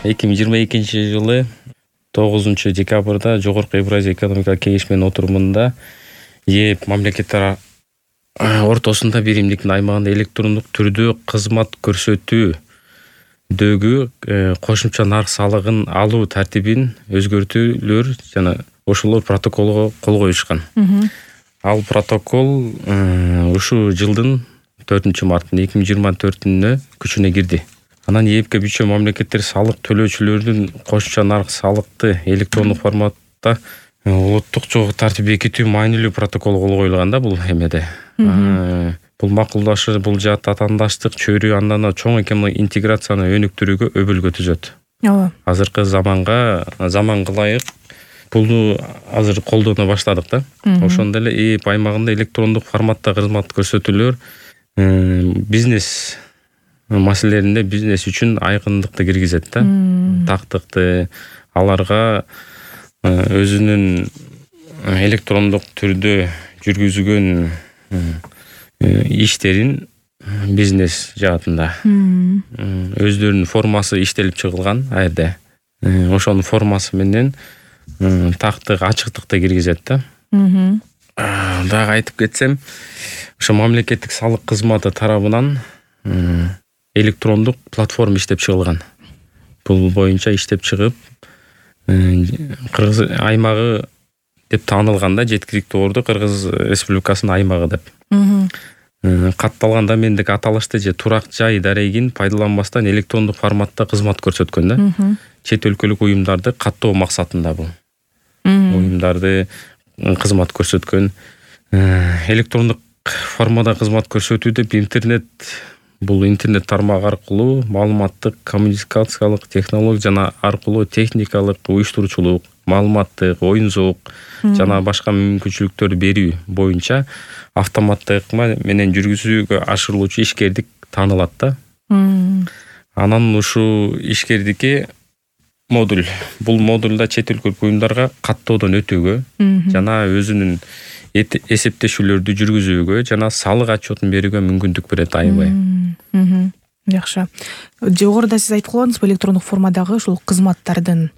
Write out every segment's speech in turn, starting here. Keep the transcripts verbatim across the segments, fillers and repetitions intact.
эки миң жыйырма экинчи жылы тогузунчу декабрда Жогорку Евразия экономикалык кеңешменин отурумунда ЕЭ мамлекеттер ортосунда биримдиктин аймагында электрондук түрдө кызмат көрсөтүүдөгү кошумча нарк салыгын алуу тартибин өзгөртүүлөр жана ошолор протоколго кол коюшкан. Ал протокол ушул жылдын төртүнчү мартында эки миң жыйырма төртүнө күчүнө кирди. Анан ЕЭПке мүчө мамлекеттер салык төлөөчүлөрдүн кошумча нарк салыкты электрондук форматта улуттук жогу тартип бекитүү маанилүү протокол кол коюлган да бул эмеде. Бул макулдашы бул жаат атаандаштык чөйрө андан чоң экономик интеграцияны өнүктүрүүгө өбөлгө түзөт. Ооба. Азыркы заманга заманга ылайык бул азыр колдоно баштадык да. Ошондой эле ЕЭП аймагында электрондук форматта кызмат көрсөтүүлөр бизнес маселелеринде бизнес үчүн айкындыкты киргизет да. Тактыкты аларга өзүнүн электрондук түрдө жүргүзгөн иштерин бизнес жаатында өздөрүнүн формасы иштелип чыгылган а жерде. Ошонун формасы менен тактык ачыктыкты киргизет да. Дагы айтып кетсем, ошо мамлекеттик салык кызматы тарабынан электрондук платформа иштеп чыгылган. Бул боюнча иштеп чыгып, Кыргыз аймагы деп таанылган да, жеткиликтүү орду Кыргыз Республикасынын аймагы деп. Катталган домендик аталышты же турак жай дарегин пайдаланбастан электрондук форматта кызмат көрсөткөн да. Чет өлкөлүк уюмдарды каттоо максатында бул. Уюмдарды кызмат көрсөткөн электрондук формада кызмат көрсөтүү деп интернет бул интернет тармак аркылуу маалыматтык коммуникациялык технология жана аркылуу техникалык уюштуруучулук, маалыматтык, оюн зоок жана башка мүмкүнчүлүктөр берүү боюнча автоматтык менен жүргүзүүгө ашырылуучу ишкердик таанылат да. Анан ушул ишкердикке модуль. Бул модулда чет өлкөлүк уюмдарга каттоодон өтүүгө жана өзүнүн эсептешүүлөрдү жүргүзүүгө жана салык отчетун берүүгө мүмкүндүк берет аябай. Жакшы. Жогоруда сиз айтып койдуңуз, электрондук формадагы ушул кызматтардын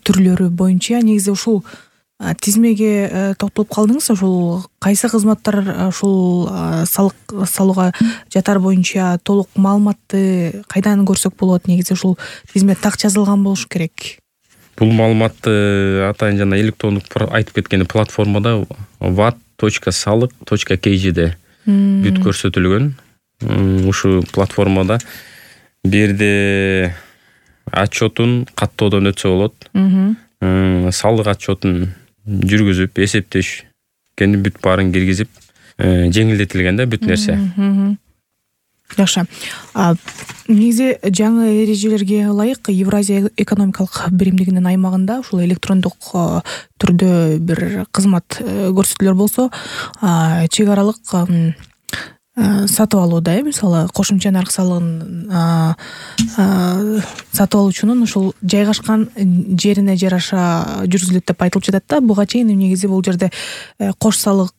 түрлөрү боюнча негизи ушул тизмеге токтолуп калдыңыз. Ушул кайсы кызматтар ушул салык салууга жатар боюнча толук маалыматты кайдан көрсөк болот? Негизи ушул тизме так жазылган болуш керек. Бул маалыматты атайын жана электрондук айтып кеткен платформада ват точка салык точка кей жеде бүт көрсөтүлгөн. Ушу платформада бирде отчетун каттоодон өтсө болот. Салык отчетун жүргүзүп, эсептеш кени бүт баарын киргизип, жеңилдетилген да бүт нерсе. Жакшы. Негизи жаңы эрежелерге ылайык Евразия экономикалык биримдигинин аймагында ушул электрондук түрдө бир кызмат көрсөтүүлөр болсо, чек аралык сатып алууда, мисалы, кошумча нарк салыгын сатып алуучунун ушул жайгашкан жерине жараша жүргүзүлөт деп айтылып жатат да. Буга чейин негизи бул жерде кош салык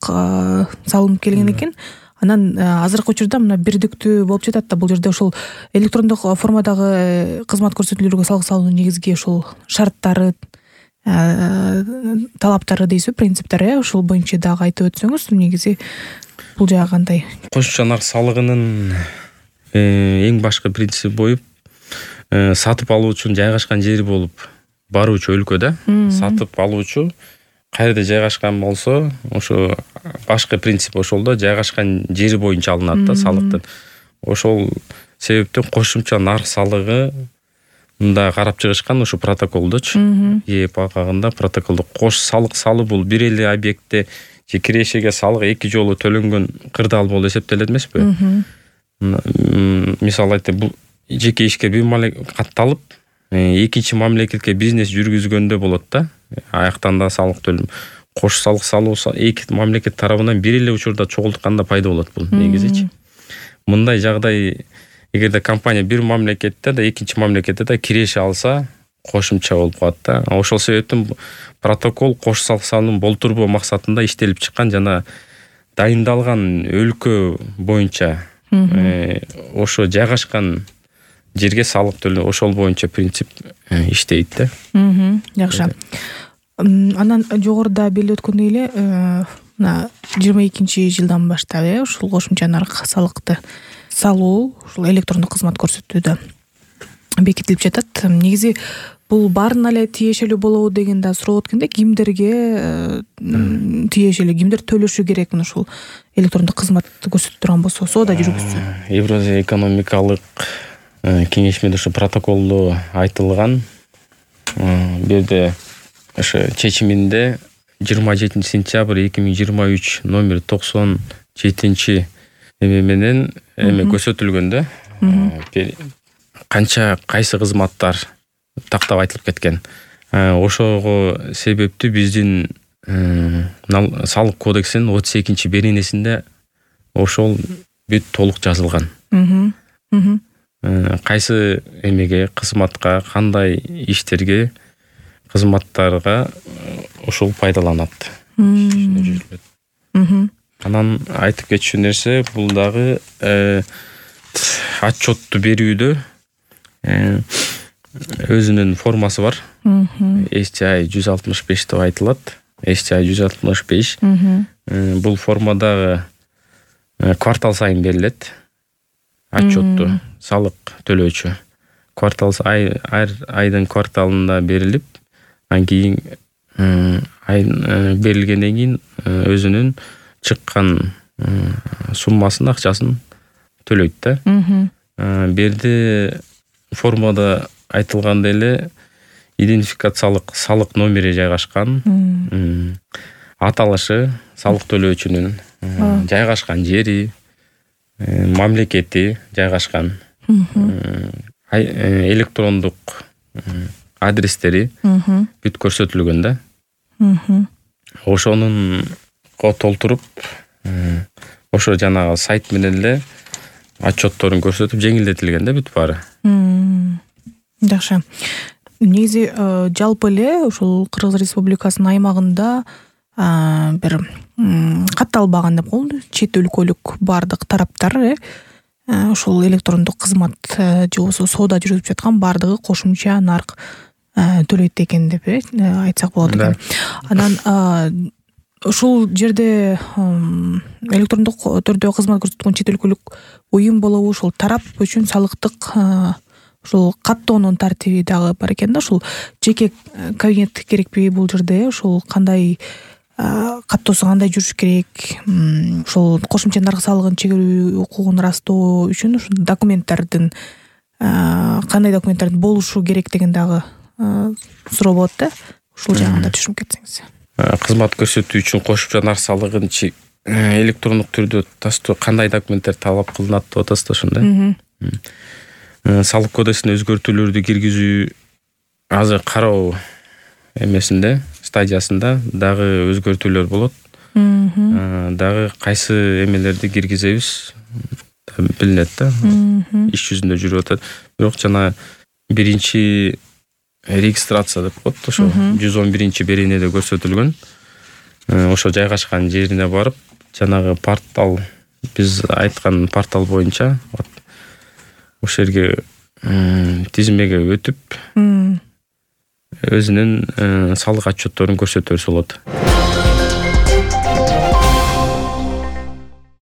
салынып келген экен. Анан азыркы учурда мына бирдиктүү болуп жатат да. Бул жерде ушул электрондук формадагы кызмат көрсөтүүлөргө салык салуунун негизги ушул шарттары, талаптары дейсизби, принциптери, ушул боюнча дагы айтып өтсөңүз, негизи бул жагы кандай? Кошумча нарк салыгынын эң башкы принциби боюп, сатып алуучунун жайгашкан жери болуп баруучу өлкөдө сатып алуучу кайерде жайгашкан болсо, ошо башкы принцип ошол да, жайгашкан жери боюнча алынат да салыктын. Ошол себептен кошумча нарк салыгы мында карап чыгышкан ушу протоколдочу. ЕЭП акагында протоколдо кош салык салуу бул бир эле объектте же кирешеге салык эки жолу төлөнгөн кырдаал болуп эсептелет эмеспи? Мисалы айтып, бул жеке ишке бир мамлекет катталып, экинчи мамлекетке бизнес жүргүзгөндө болот да. Аяктан да салык төлөм. Кош салык салуу эки мамлекет тарабынан бир эле учурда чогултканда пайда болот бул негизичи. Мындай жагдай эгерде компания бир мамлекетте да экинчи мамлекетте да киреше алса, кошумча болуп калат да. Ошол себептен протокол кош салык салуунун болтурбоо максатында иштелип чыккан жана дайындалган өлкө боюнча ошо жайгашкан жерге салык төлөө ошол боюнча принцип иштейт да. Жакшы. Анан жогоруда белгилеп өткөндөй эле мына жыйырма экинчи жылдан баштап э ушул кошумча нарк салыкты салуу ушул электрондук кызмат көрсөтүүдө бекитилип жатат. Негизи бул баарына эле тиешелүү болобу деген да суроо өткөндө, кимдерге тиешелүү, кимдер төлөшү керек мына ушул электрондук кызматты көрсөтүп турган болсо, соода жүргүзсө? Евразия экономикалык кеңешмеде ушу протоколдо айтылган. Бу жерде ошо чечиминде жыйырма жетинчи сентябрь эки миң жыйырма үч номер токсон жетинчи эме менен эме көрсөтүлгөн да. Канча кайсы кызматтар тактап айтылып кеткен. Ошого себептүү биздин салык кодексинин отуз экинчи беренесинде ошол бүт толук жазылган. Кайсы эмеге, кызматка, кандай иштерге, кызматтарга ошол пайдаланат. Анан айтып кетчү нерсе, бул дагы отчетту берүүдө өзүнүн формасы бар. эс ти ай жүз алтымыш беш деп айтылат. эс ти ай жүз алтымыш беш. Бул формадагы квартал сайын берилет. Отчетту салык төлөөчү квартал ай айдын кварталында берилип, анан кийин ай берилгенден кийин өзүнүн чыккан суммасын, акчасын төлөйт да. Бу жерде формада айтылгандай эле идентификациялык салык номери жайгашкан, аталышы, салык төлөөчүнүн жайгашкан жери, мамлекети жайгашкан, электрондук адрестери бүт көрсөтүлгөн да. Ошонун толтуруп, ошо жанагы сайт менен эле отчетторун көрсөтүп жеңилдетилген да бүт баары. Жакшы. Негизи жалпы эле ушул Кыргыз Республикасынын аймагында бир катталбаган деп коелу, чет өлкөлүк бардык тараптар э ушул электрондук кызмат же болбосо соода жүргүзүп жаткан бардыгы кошумча нарк төлөйт экен деп э айтсак болот экен. Анан ушул жерде электрондук түрдө кызмат көрсөткөн чет өлкөлүк уюм болобу, ушул тарап үчүн салыктык ушул каттоонун тартиби дагы бар экен да. Ушул жеке кабинет керекпи бул жерде? Ушул кандай каттоосу кандай жүрүш керек? Ушул кошумча нарк салыгын чегерүү укугун ырастоо үчүн ушул документтардын кандай документтардын болушу керек деген дагы суроо болот да. Ушул жагында түшүнүп кетсеңиз. Кызмат көрсөтүү үчүн кошумча нарк салыгын электрондук түрдө тастоо кандай документтер талап кылынат деп атасыз да ошондой. Салык кодексине өзгөртүүлөрдү киргизүү азыр кароо эмесинде, стадиясында дагы өзгөртүүлөр болот. Дагы кайсы эмелерди киргизебиз билинет да. Иш жүзүндө жүрүп атат. Бирок жана биринчи регистрация деп коет, ошо жүз он биринчи беренеде көрсөтүлгөн. Ошо жайгашкан жерине барып, жанагы портал, биз айткан портал боюнча ошол жерге тизмеге өтүп өзүнүн салык отчетторун көрсөтө берсе болот.